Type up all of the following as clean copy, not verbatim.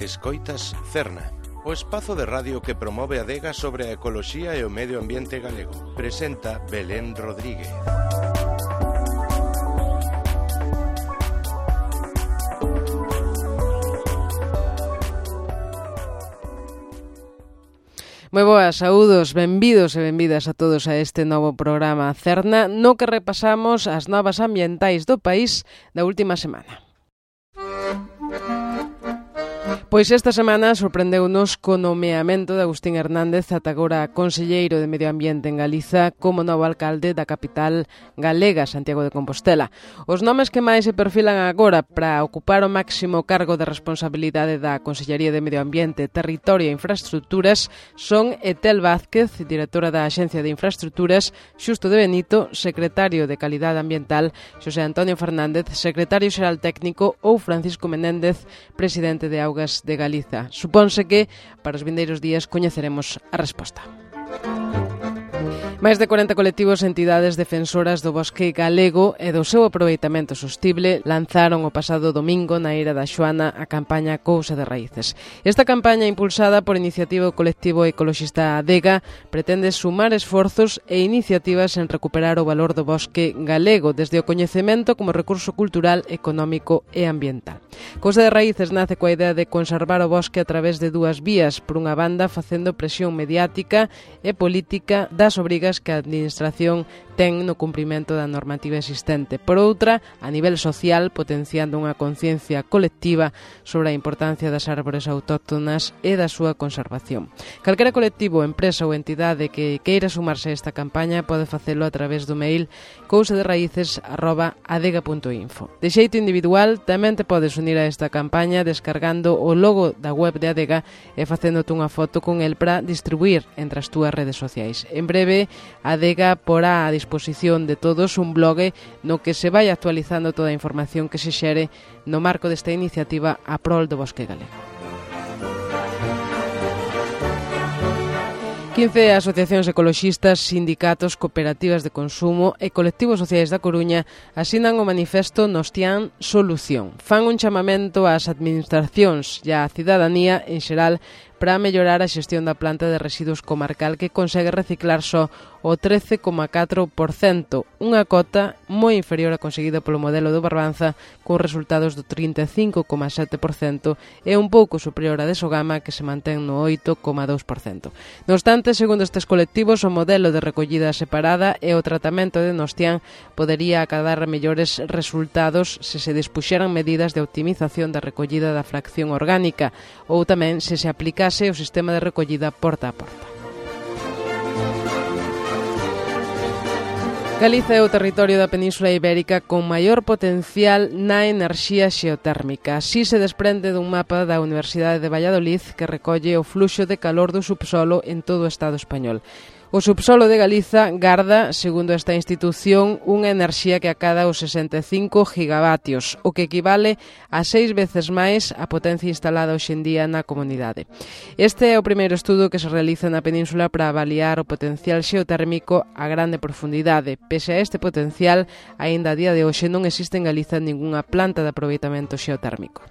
Escoitas Cerna, o espazo de radio que promove a adega sobre a ecoloxía e o medio ambiente galego. Presenta Belén Rodríguez. Moi boas, saúdos, benvidos e benvidas a todos a este novo programa Cerna, no que repasamos as novas ambientais do país da última semana. Pois esta semana sorprendeunos co nomeamento de Agustín Hernández, ata agora conselleiro de Medio Ambiente en Galiza, como novo alcalde da capital galega, Santiago de Compostela. Os nomes que máis se perfilan agora para ocupar o máximo cargo de responsabilidade da Consellería de Medio Ambiente, Territorio e Infraestructuras son Etel Vázquez, directora da Axencia de Infraestructuras, Xusto de Benito, secretario de Calidade Ambiental, Xosé Antonio Fernández, secretario xeral técnico, ou Francisco Menéndez, presidente de Augas de Galiza. Supónse que para os vindeiros días coñeceremos a resposta. Máis de 40 colectivos e entidades defensoras do bosque galego e do seu aproveitamento sostible lanzaron o pasado domingo na Eira da Xoana a campaña Cousa de Raíces. Esta campaña, impulsada por iniciativa do colectivo ecoloxista Adega, pretende sumar esforzos e iniciativas en recuperar o valor do bosque galego desde o coñecemento como recurso cultural, económico e ambiental. Cousa de Raíces nace coa idea de conservar o bosque a través de dúas vías, por unha banda facendo presión mediática e política das obrigas que a Administración ten no cumprimento da normativa existente. Por outra, a nivel social, potenciando unha conciencia colectiva sobre a importancia das árbores autóctonas e da súa conservación. Calquera colectivo, empresa ou entidade que queira sumarse a esta campaña pode facelo a través do mail cousaderraíces@adega.info. De xeito individual, tamén te podes unir a esta campaña descargando o logo da web de Adega e facéndote unha foto con el para distribuir entre as túas redes sociais. En breve, Adega porá a disposición de todos un blog no que se vai actualizando toda a información que se xere no marco desta iniciativa a prol do bosque galego. 15 asociacións ecoloxistas, sindicatos, cooperativas de consumo e colectivos sociais da Coruña asinan o manifesto Nostián Solución. Fan un chamamento ás administracións e á cidadanía en xeral para mellorar a xestión da planta de residuos comarcal que consegue reciclar só o 13,4%, unha cota moi inferior a conseguida polo modelo do Barbanza, con resultados do 35,7% e un pouco superior a de Sogama, que se mantén no 8,2%. Non obstante, segundo estes colectivos, o modelo de recollida separada e o tratamento de Nostián podería acadar mellores resultados se se dispuxeran medidas de optimización da recollida da fracción orgánica ou tamén se aplicase o sistema de recollida porta a porta. Galiza é o territorio da Península Ibérica con maior potencial na enerxía xeotérmica. Así se desprende dun mapa da Universidade de Valladolid que recolle o fluxo de calor do subsolo en todo o Estado español. O subsolo de Galiza garda, segundo esta institución, unha enerxía que acada os 65 gigavatios, o que equivale a 6 veces máis a potencia instalada hoxe en día na comunidade. Este é o primeiro estudo que se realiza na península para avaliar o potencial xeotérmico a grande profundidade. Pese a este potencial, aínda a día de hoxe non existe en Galiza ningunha planta de aproveitamento xeotérmico.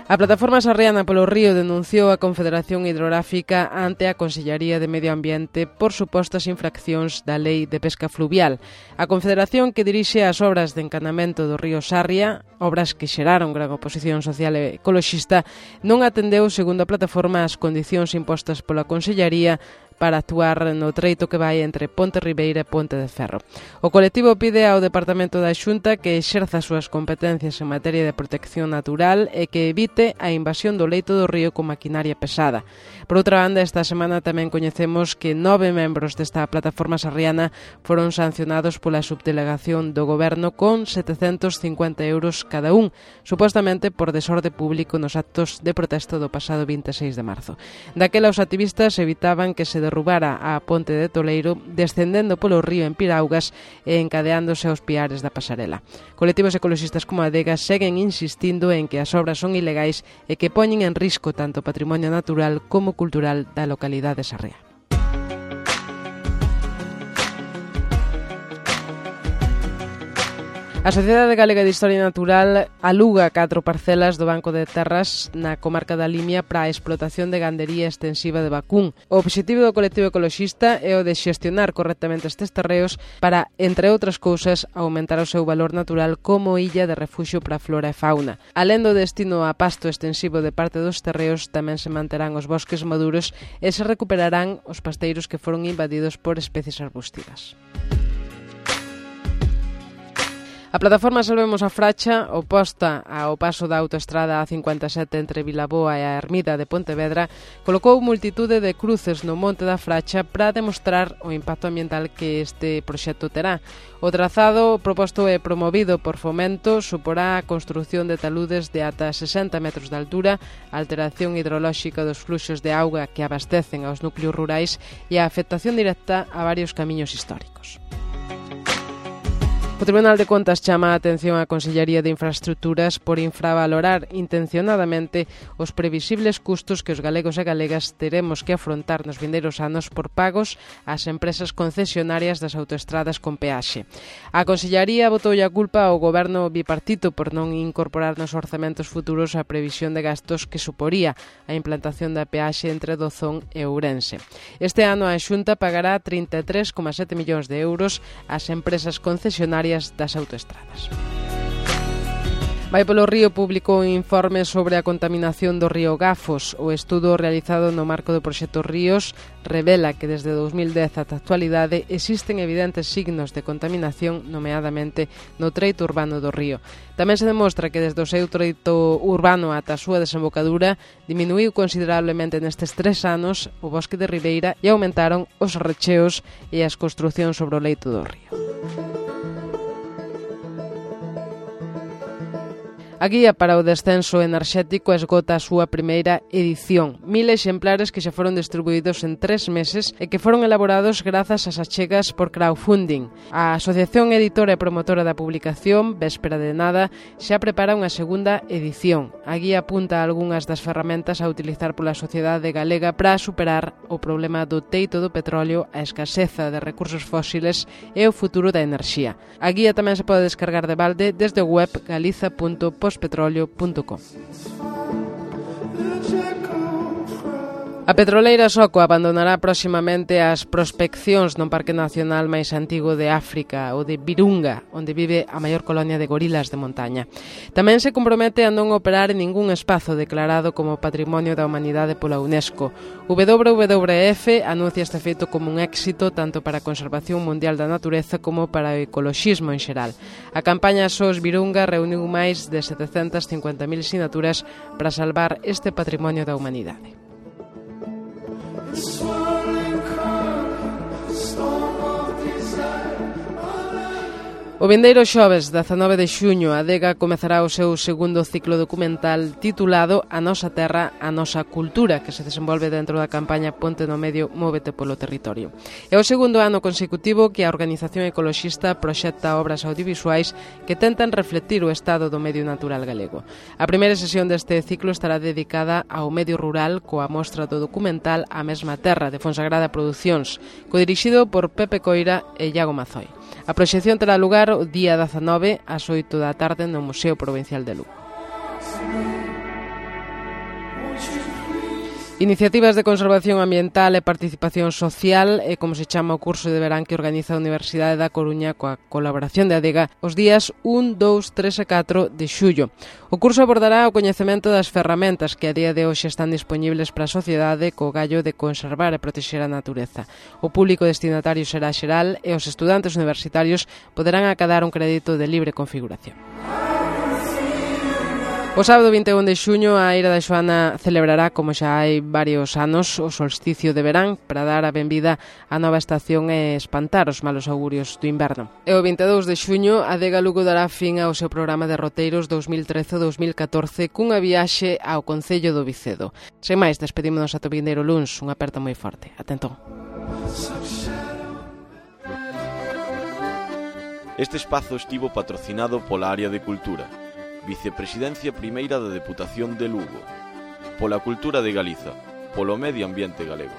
A Plataforma Sarriana polo Río denunciou a Confederación Hidrográfica ante a Consellería de Medio Ambiente por supostas infraccións da Lei de Pesca Fluvial. A Confederación, que dirixe as obras de encanamento do río Sarria, obras que xeraron gran oposición social e ecoloxista, non atendeu, segundo a plataforma, as condicións impostas pola Consellería para actuar no treito que vai entre Ponte Ribeira e Ponte de Ferro. O colectivo pide ao Departamento da Xunta que exerza as súas competencias en materia de protección natural e que evite a invasión do leito do río con maquinaria pesada. Por outra banda, esta semana tamén coñecemos que 9 membros desta plataforma sarriana foron sancionados pola subdelegación do Goberno con 750 euros cada un, supostamente por desorde público nos actos de protesta do pasado 26 de marzo. Daquela, os activistas evitaban que se derrubara a ponte de Toleiro, descendendo polo río en piraugas e encadeándose aos piares da pasarela. Colectivos ecoloxistas como Adega seguen insistindo en que as obras son ilegais e que poñen en risco tanto o patrimonio natural como cultural da localidade sarrea. A Sociedade Galega de Historia Natural aluga 4 parcelas do Banco de Terras na comarca da Limia para a explotación de gandería extensiva de vacún. O obxectivo do colectivo ecoloxista é o de xestionar correctamente estes terreos para, entre outras cousas, aumentar o seu valor natural como illa de refuxio para a flora e fauna. Alén do destino a pasto extensivo de parte dos terreos, tamén se manterán os bosques maduros e se recuperarán os pasteiros que foron invadidos por especies arbustivas. A plataforma Salvemos a Fracha, oposta ao paso da autoestrada A57 entre Vilaboa e a Ermida de Pontevedra, colocou multitude de cruces no Monte da Fracha para demostrar o impacto ambiental que este proxecto terá. O trazado proposto e promovido por Fomento suporá a construción de taludes de ata 60 metros de altura, a alteración hidrolóxica dos fluxos de auga que abastecen aos núcleos rurais e a afectación directa a varios camiños históricos. O Tribunal de Contas chama a atención á Consellería de Infraestructuras por infravalorar intencionadamente os previsibles custos que os galegos e galegas teremos que afrontar nos vindeiros anos por pagos ás empresas concesionarias das autoestradas con peaxe. A Consellería botoulle a culpa ao goberno bipartito por non incorporar nos orzamentos futuros a previsión de gastos que suporía a implantación da peaxe entre Dozón e Ourense. Este ano a Xunta pagará 33,7 millóns de euros ás empresas concesionarias das autoestradas. Vai polo Río publicou un informe sobre a contaminación do río Gafos. O estudo realizado no marco do proxecto Ríos revela que desde 2010 ata a actualidade existen evidentes signos de contaminación, nomeadamente no treito urbano do río. Tamén se demostra que desde o seu treito urbano ata a súa desembocadura diminuiu considerablemente nestes 3 anos o bosque de ribeira e aumentaron os recheos e as construcións sobre o leito do río. A guía para o descenso enerxético esgota a súa primeira edición. 1000 exemplares que xa foron distribuídos en 3 meses e que foron elaborados grazas ás achegas por crowdfunding. A Asociación Editora e Promotora da Publicación, Véspera de Nada, xa prepara unha segunda edición. A guía apunta a algunhas das ferramentas a utilizar pola sociedade galega para superar o problema do teito do petróleo, a escaseza de recursos fósiles e o futuro da enerxía. A guía tamén se pode descargar de balde desde o web galiza.pospetroleo.com. A petroleira Soco abandonará proximamente as prospeccións no Parque Nacional máis antigo de África, o de Virunga, onde vive a maior colonia de gorilas de montaña. Tamén se compromete a non operar en ningún espazo declarado como Patrimonio da Humanidade pola UNESCO. WWF anuncia este feito como un éxito tanto para a conservación mundial da natureza como para o ecoloxismo en xeral. A campaña SOS Virunga reuniu máis de 750.000 sinaturas para salvar este patrimonio da humanidade. O vindeiro xoves, 19 de xuño, a Adega comezará o seu segundo ciclo documental titulado A Nosa Terra, a Nosa Cultura, que se desenvolve dentro da campaña Ponte no Medio, Móvete polo Territorio. É o segundo ano consecutivo que a organización ecoloxista proxecta obras audiovisuais que tentan reflectir o estado do medio natural galego. A primeira sesión deste ciclo estará dedicada ao medio rural coa mostra do documental A Mesma Terra, de Fonsagrada Producións, codirixido por Pepe Coira e Iago Mazoi. A proxección terá lugar o día 19 ás 8 da tarde no Museo Provincial de Lugo. Iniciativas de conservación ambiental e participación social é como se chama o curso de verán que organiza a Universidade da Coruña coa colaboración de Adega os días 1, 2, 3 e 4 de xullo. O curso abordará o coñecemento das ferramentas que a día de hoxe están dispoñibles para a sociedade co gallo de conservar e protexer a natureza. O público destinatario será xeral e os estudantes universitarios poderán acadar un crédito de libre configuración. O sábado 21 de xuño a Eira da Xoana celebrará, como xa hai varios anos, o solsticio de verán para dar a benvida á nova estación e espantar os malos augurios do inverno. E o 22 de xuño a Adega Lugo dará fin ao seu programa de roteiros 2013-2014 cunha viaxe ao Concello do Vicedo. Sen máis, despedímonos ata o vindeiro luns. Unha aperta moi forte. Atentón. Este espazo estivo patrocinado pola Área de Cultura, Vicepresidencia Primeira da Deputación de Lugo, pola Cultura de Galiza, polo Medio Ambiente Galego.